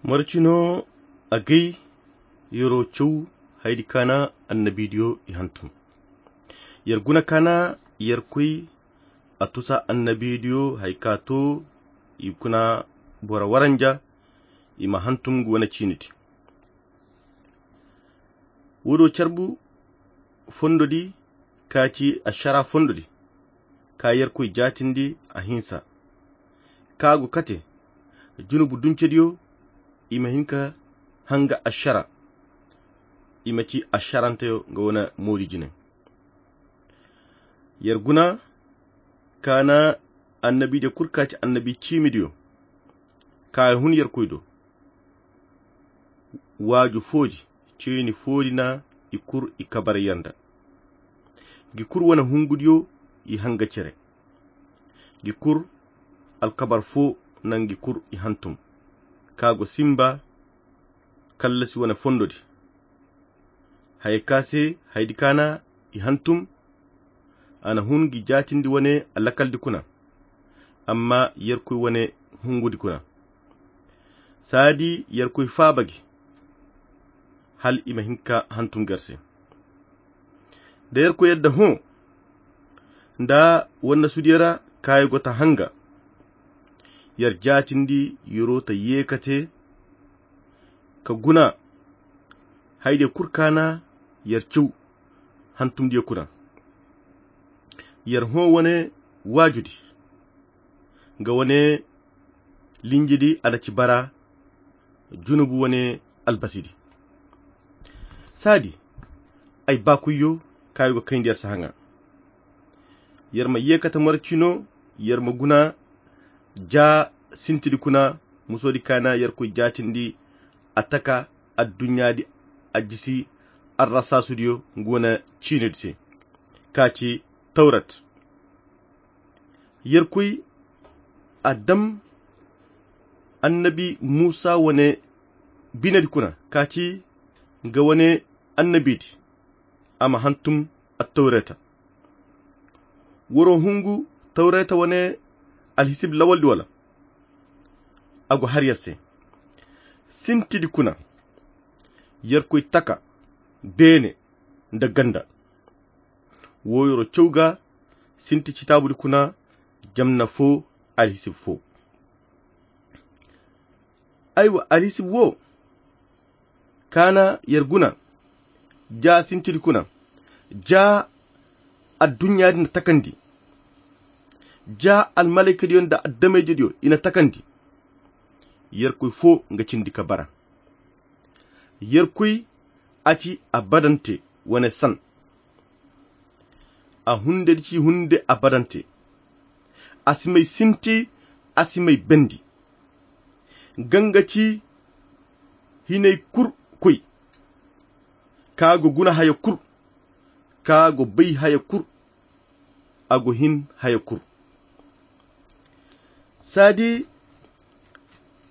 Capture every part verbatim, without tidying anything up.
Marcino agay yero caw haydi kaana annabidiyo i hantum. Yer guna kaana yerkoy a tusa annabidiyo hay ka to i kuna bora waranja i ma hantum ga wane ciiniti. Wodo carbu fondodi ka ci ashara fondodi ka yerkoy jaatindi a hinsa ka go kate junubu duncediyo i ma hin ka hanga ashara i ma ci asharanteyo ga wane moodi jine. Yer guna kaana annabidiyo kul ka ci annabi ciimidiyo ka hun yerkoy do waaju foodi ceeni foodi na i kur i kabar yanda gi kur wane hungudiyo i hanga cere gi kur alkabar fo nangi kur i hantum ka go simba kallasi wane fondodi haya ka se haydi kaana i hantum a na hun gi jaatindi wane alakaldi kuna amma yerkoy wane hungudi kuna saadi yerkoy faaba gi hal i ma hin ka hantum gar se da yerkoy yadda hõ nda wannasudiyo ra kaayo go ta hanga yer jaatindi yero ta yeekate ka guna haydiyo kul kaana yer caw hantumdiyo kuna yer hõ wane waajudi nga wane linjidi a na ci bara junubu wane albasidi saadi ay baakuyyo kaayo ga kayndi yer si haŋa yer ma yeekate moro cino yer ma guna ja sintidi kuna musodi kaana yerkoy jaatindi a taka adduɲɲaadi a jisi arrasaasudiyo nga wane ciinidi se ka ci tawrat yerkoy a dam annabi muusa wane binedi kuna ka ci nga wane annabidi a ma hantum attawreta woro hungu tawreta wane alhisib lawaldi wala a go har yer se sintidi kuna yerkoy taka beene nda ganda wo yoro caw ga sinti citaabudi kuna jamna fo alhisib fo aywa alhisib wo kaana yer guna ja sintidi kuna ja adduɲɲaadi na takandi ja almalaykadiyo nda addamayjediyo i na takandi yerkoy fo nga cindi ka bara yerkoy a ci abadante wane san a hundedi ci hunde abadante a si may sinti a si may bendi ganga ci hinay kul koy ka go guna haya kul ka go bay haya kul a go hin haya kul saadi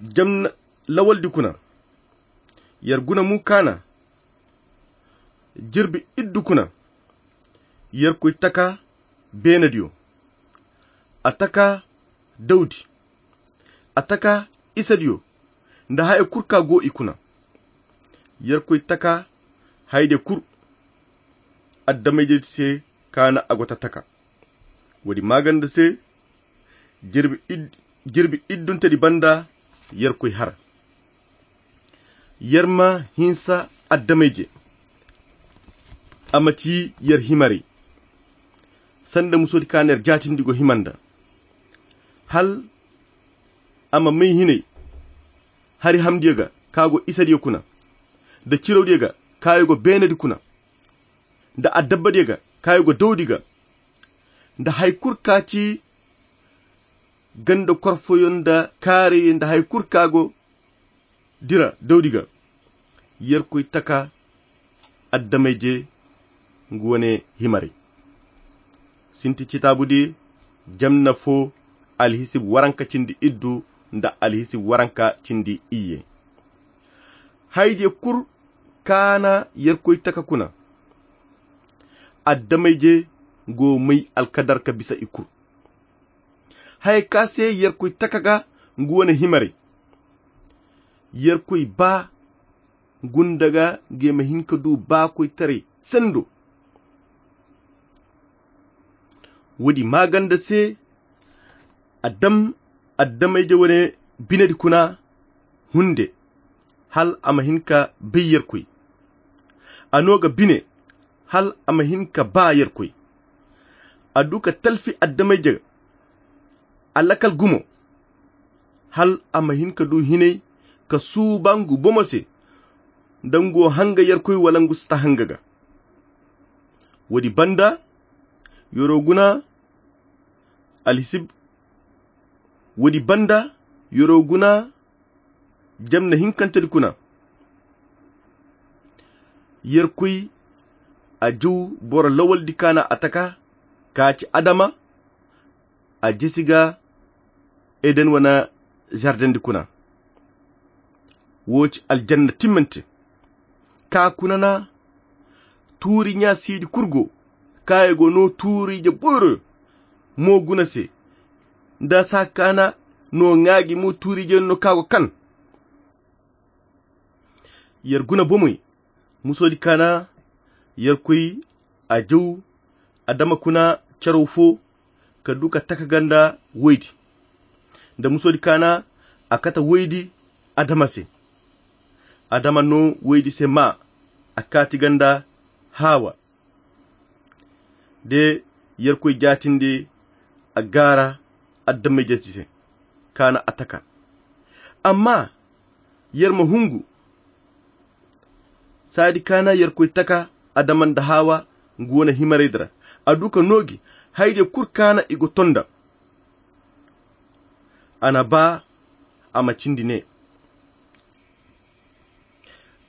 jamna lawaldi kuna yer guna mu kaana jirbi iddu kuna yerkoy taka beenadiyo a taka dawdi a taka isadiyo nda haya kul ka go i kuna yerkoy taka hayde kul addamayjedi se kaana a go ta taka woodi maaganda se jirbi idduntedi banda yerkoy har yer ma hinsa addamayje a ma ci yer himarey sanda musodi kaana yer jaatindi go hima nda hal a ma may hinay hari hamdiyo ga ka go isadiyo kuna nda cirawdiyo ga kayo go beenadi kuna nda addabbadiyo ga kayo go dawdi ga nda hay kul ka ci ganda korfoyo nda kaarayo nda hay kul ka go dira dawdi ga yerkoy taka addamayje ngu wane himaray sinti citaabudi jamna fo alhisib waranka cindi iddu nda alhisib waranka cindi iyye haydiyo kul kaana yerkoy taka kuna addamayje go may alkadarka bisa i kul haya ka se yerkoy taka ga ngu wane himaray Yerkoy ba gunda ga, nga ma hin ka du baakoytaray sendo. Woodi maaganda se, a dam adamayje wane binedi kuna hunde, hal a ma hin ka bay Yerkoy. A no ga bine, hal a ma hin ka ba Yerkoy. A du ka talfi adamayje a lakal gumo, hal a ma hin ka du hinay ka suuba ngu bomo se, da ngu hanga Yerkoy wala ngu si ta hanga ga. Woodi banda, yoro guna alhisib, woodi banda, yoro guna jamna hinkantedi kuna. Yerkoy a jaw boro lawaldi ka na a taka, ka ci Adama, a jesi ga Eden wane zardendi kuna. Wo ci aljanna timmante. Ka kuna na tuuri ɲa siidi kul go, ka i go no tuuriije boyro mo guna se, nda saa ka na no ŋaaji mo tuuriije no ka go kan. Yer guna bomey, musoodi ka na Yerkoy a jaw Adama kuna caraw fo, ka du ka taka ganda woydi. Nda musoodi ka na a kate woydi Adama se. Adama no woydi se maa, a kaati ganda Hawa. De Yerkoy jaatindi a gaara adamayje se, ka na a taka. Amma yer ma hungu, saadi ka na Yerkoy taka Adama nda Hawa ngu wane himaraydi ra. A du ka noogi haydiyo kul ka na i go tonda. A na ba a ma cindi ne.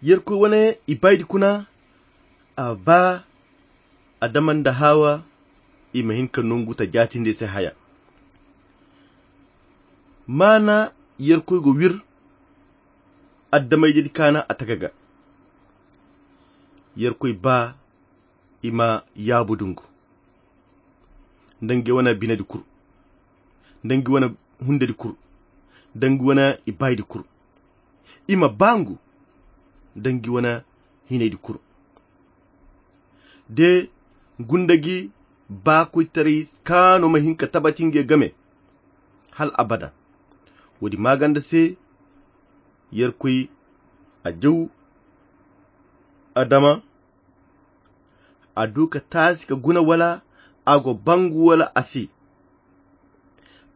Yerkoy wane ibaydi kuna, a ba Adama nda Hawa i ma hin ka nongu ta jaatinde se haya. Maana Yerkoy go wir adamayjedi ka na a taka ga. Yerkoy ba i ma yaabu dungu nda ngi wane binedi kul, nda ngi wane hundedi kul, nda ngi wane ibaydi kul. I ma ba ngu nda ngi wane hinaydi kul. De gunda gi baakoytaray kaano ma hin ka tabati nge game hal abada. Woodi maaganda se Yerkoy a jaw Adama, a du ka taasi ka guna wala a go bangu wala a si.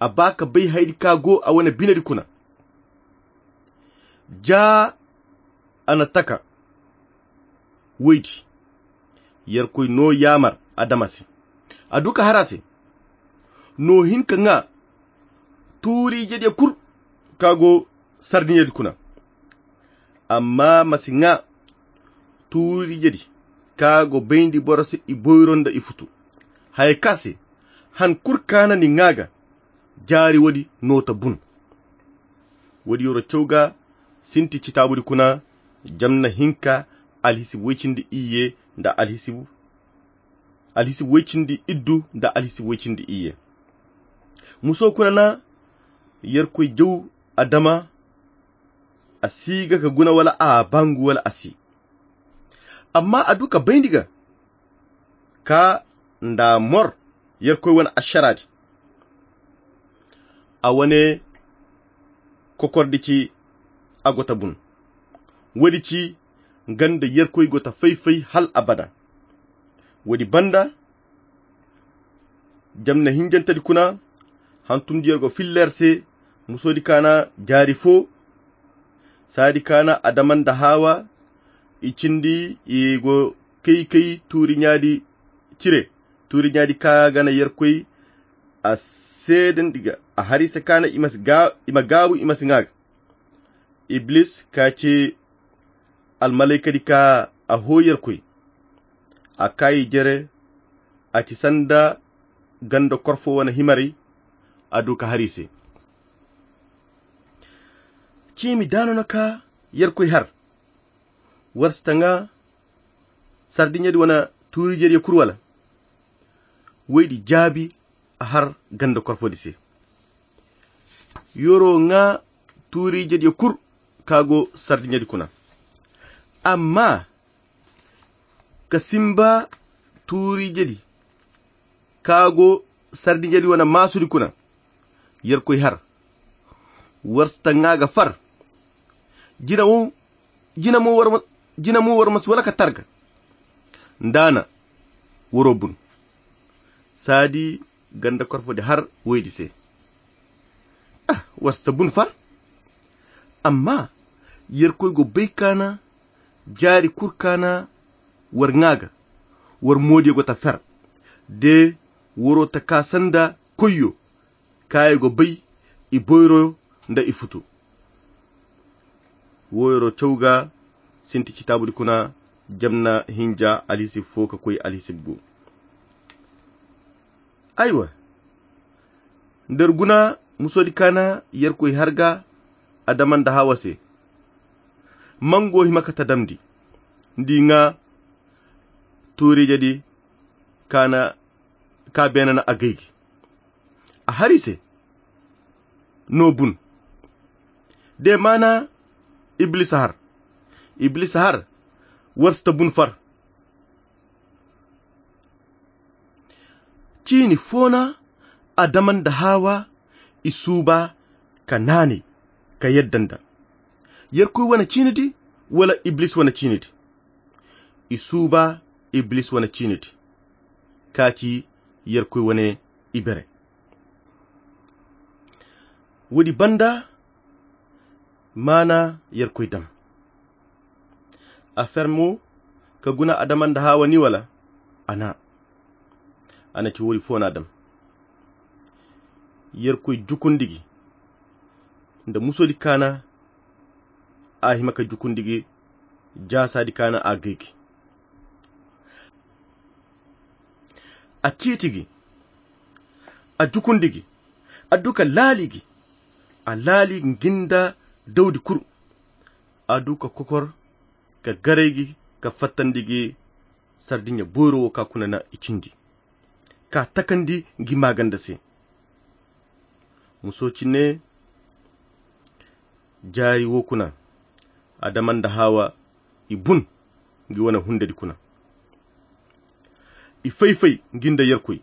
A ba ka bay haydi ka go a wane binedi kuna. Ja a na taka woydi. Yerkoy no yaamar Adama se. A du ka har a se. No hin ka ŋa tuuriijediyo kul ka go sardiɲedi kuna. Amma ma si ŋa tuuriijedi ka go bayndi boro se i boyro nda i futu. Haya ka se han kul ka na ni ŋa ga jaari woodi no ta bun. Woodi yoro caw ga sinti citaabudi kuna jamna hinka alhisibu woy cindi iyye nda alhisibu alhisibu woy cindi iddu nda alhisibu woy cindi iyye. Muso kuna na Yerkoy jaw Adama, a si ga ka guna wala a bangu wala a si. Amma a du ka bayndi ga ka nda mor Yerkoy wane ašaraadi. A wane kokordi ci a go ta bun. Woodi ci nga nda Yerkoy go ta fay-fay hal abada. Woodi banda jamna hinjantedi kuna hantumdiyo go filla yer se. Musoodi ka na jaari fo saadi ka na Adama nda Hawa i cindi i go kay-kay tuuriɲaadi cire. Tuuriɲaadi ka ga na Yerkoy a seedandi ga a har i se ka na i ma gaabu i ma si ŋa ga. Iblis ka ci almalaykadi ka a hoo Yerkoy. A kaayi jere a ci sanda ganda korfo wane himaray. A du ka har i se ciimi daano na ka Yerkoy har. War si ta ŋa sardiɲedi wane tuuriijediyo kul wala? Woydi jaabi a har ganda korfodi se. Yoro ŋa tuuriijediyo kul ka go sardiɲedi kuna. Amma ka simba tuuriijedi ka go sardiɲedi wane maasudi kuna, yerkoy har war si ta ŋaa ga far. Jina wo jina mo war ma si wala ka targa nda a na waro bun. Saadi ganda korfodi har woydi se. Ah, war si ta bun far. Amma yerkoy go bay kaana jaari kul kaana war ŋaa ga war moodiyo go ta fer de waro ta kaa sanda koyyo kaaya go bay i boyro nda i futu. Woyro caw ga sinti citaabudi kuna jamna hinja alhisib fo ka koy alhisib gu. Aywa, nda ir guna musoodi kaana yerkoy har ga adama nda hawa se, mango hima ka ta damndi nda i ŋaa tuuriijedi kaana ka beene na a gay gi. A har i se no bun. De maana iblisa har iblisa har war si ta bun far. Ciini fo na adama nda hawa i suuba ka naanay ka yadda nda yerkoy wane ciinidi wala iblis wane ciinidi? I suuba iblis wane ciinidi ka ci yerkoy wane ibere. Woodi banda maana yerkoy dam a fer mo ka guna adama nda hawa ni wala? A na a na ci woodi fo na dam yerkoy jukundi gi nda musoodi kaana a hima ka jukundi gi jaasaadi kaana a gay gi. A ciiti gi a jukundi gi a du ka laali gi a laali gi nda dawdi kul. A du ka kokor ka garay gi ka fattandi gi sardiɲa boyro wo ka kuna na i cindi ka takandi gi maaganda se. Muso cine jaari wo kuna adama nda hawa i bun gi wane hundedi kuna. I fay-fay gi nda yerkoy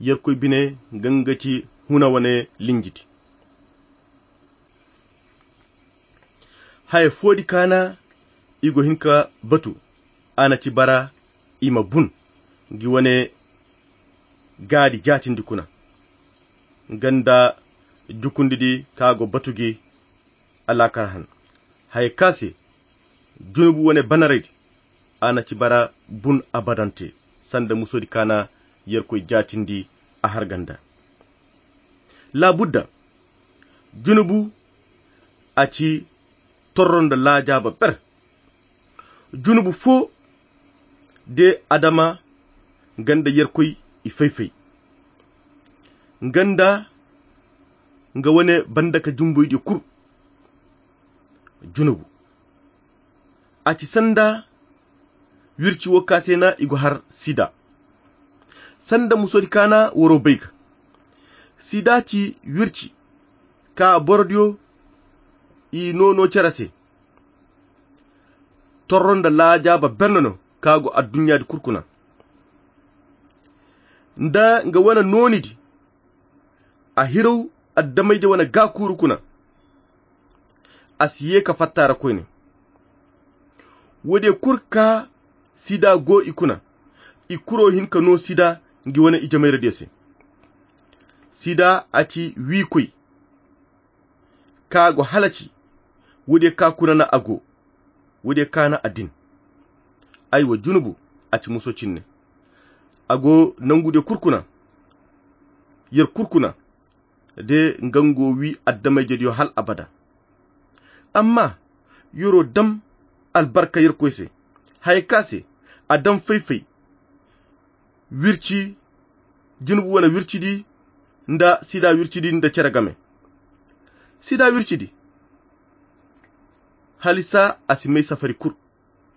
yerkoy bine ganga ci huna wane linjidi. Haya foodi kaana i go hin ka batu a na ci bara i ma bun gi wane gaadi jaatindi kuna ganda jukundidi ka go batu gi alaakar han haya ka se junubu wane banaraydi a na ci bara bun abadante sanda musoodi kaana yerkoy jaatindi a har ganda. Laabudda junubu a ci torro nda laajaaba ber. Junubu fo de adama nga nda yerkoy i fay-fay nga nda nga wane banda ka jumboydiyo kul. Junubu a ci sanda wirci wo ka se na i go har sida. Sanda musoodi kaana waro bay ga sida ci wirci ka borodiyo i noono cere se. Torro nda laajaaba berne no ka go adduɲɲaadi kul kuna nda nga wane noonidi. A hiraw addamayje wane gaakuuru kuna a si ye ka fatta ra koyne. Woodiyo kul ka sida go i kuna i kuro hin ka no sida ngi wane ijemayradiyo se. Sida a ci wiikoy ka go halaci. Woodiyo ka kuna na a go woodiyo ka na a din. Aywa junubu a ci muso cinne. A go nangudiyo kul kuna yer kul kuna de nga ngo wi addamayjediyo hal abada. Amma yero dam albarka yerkoy se haya ka se a dam fay-fay wirci junubu wane wircidi nda sida wircidi nda cere game. Sida wircidi halisa a si may safari kul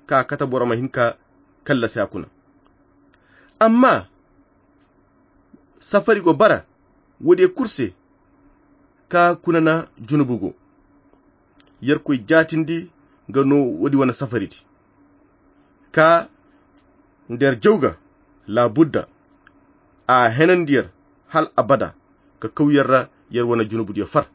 ka kate boro ma hin ka kallasi a kuna. Amma safari go bara woodiyo kul se ka kuna na junubu go. yerkoy jaatindi ga no woodi wane safaridi ka nda yer jaw ga laabudda a henandi yer hal abada ka kaw yer ra yer wane junubudiyo far.